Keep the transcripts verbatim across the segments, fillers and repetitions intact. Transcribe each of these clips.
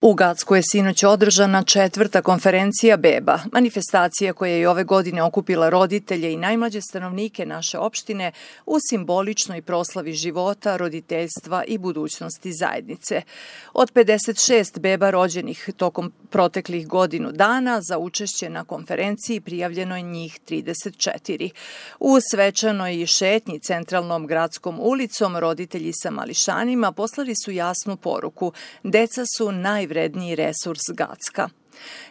U Gacku je sinoć održana četvrta konferencija beba, manifestacija koja je i ove godine okupila roditelje i najmlađe stanovnike naše opštine u simboličnoj proslavi života, roditeljstva i budućnosti zajednice. Od pedeset šest beba rođenih tokom proteklih godinu dana za učešće na konferenciji prijavljeno je njih trideset četiri. U svečanoj šetnji centralnom gradskom ulicom roditelji sa mališanima poslali su jasnu poruku: deca su najvredniji resurs Gacka.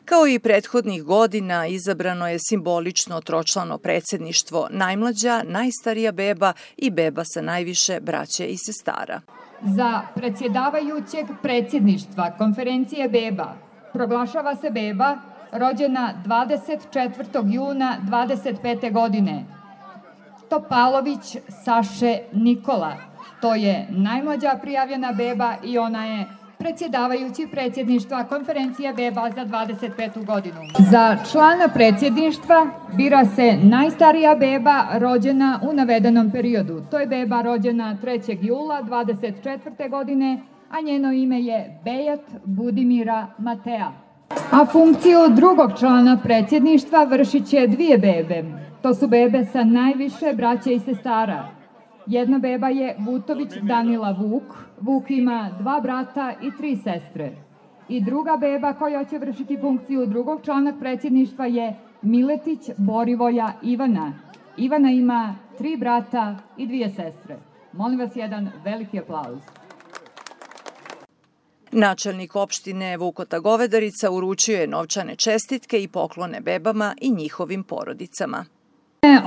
Kao i prethodnih godina, izabrano je simbolično tročlano predsjedništvo, najmlađa, najstarija beba i beba sa najviše braće i sestara. Za predsjedavajućeg predsjedništva konferencije beba proglašava se beba rođena dvadeset četvrtog juna dvadeset pete godine. Topalović Saše Nikola. To je najmlađa prijavljena beba i ona je predsjedavajući predsjedništva konferencija beba za dvadeset petu godinu. Za člana predsjedništva bira se najstarija beba rođena u navedenom periodu. To je beba rođena trećeg jula dvadeset četvrte godine, a njeno ime je Bejat Budimira Matea. A funkciju drugog člana predsjedništva vršit će dvije bebe. To su bebe sa najviše braće i sestara. Jedna beba je Vutović Danila Vuk. Vuk ima dva brata i tri sestre. I druga beba koja će vršiti funkciju drugog člana predsjedništva je Miletić Borivoja Ivana. Ivana ima tri brata i dvije sestre. Molim vas jedan veliki aplauz. Načelnik opštine Vukota Govedarica uručio je novčane čestitke i poklone bebama i njihovim porodicama.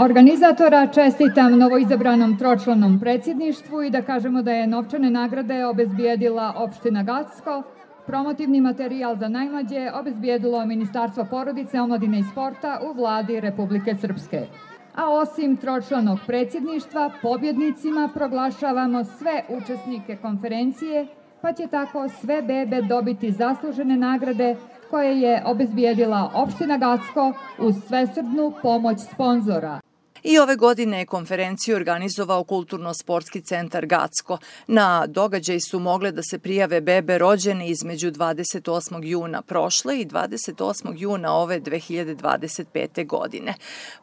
Organizatora čestitam novoizabranom tročlanom predsjedništvu i da kažemo da je novčane nagrade obezbijedila opština Gacko, promotivni materijal za najmlađe obezbijedilo Ministarstvo porodice, omladine i sporta u vladi Republike Srpske. A osim tročlanog predsjedništva, pobjednicima proglašavamo sve učesnike konferencije, pa će tako sve bebe dobiti zaslužene nagrade koje je obezbijedila opština Gacko uz svesrdnu pomoć sponzora. I ove godine je konferenciju organizovao Kulturno-sportski centar Gacko. Na događaj su mogle da se prijave bebe rođene između dvadeset osmog juna prošle i dvadeset osmog juna ove dve hiljade dvadeset pete. godine.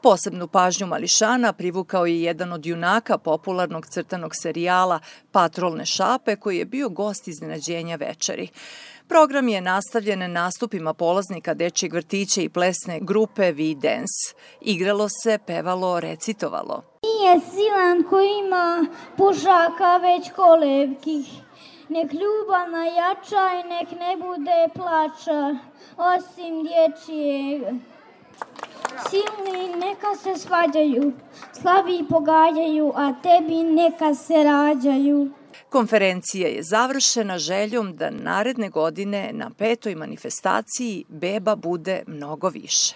Posebnu pažnju mališana privukao je jedan od junaka popularnog crtanog serijala Patrolne šape, koji je bio gost iznenađenja večeri. Program je nastavljen nastupima polaznika dečjeg vrtića i plesne grupe V-Dance. Igralo se, pevalo, recitovalo. Nije silan ko ima pušaka već kolevkih, nek ljubav najjača i nek ne bude plača, osim dječjeg. Silni neka se svađaju, slabi pogađaju, a tebi neka se rađaju. Konferencija je završena željom da naredne godine na petoj manifestaciji beba bude mnogo više.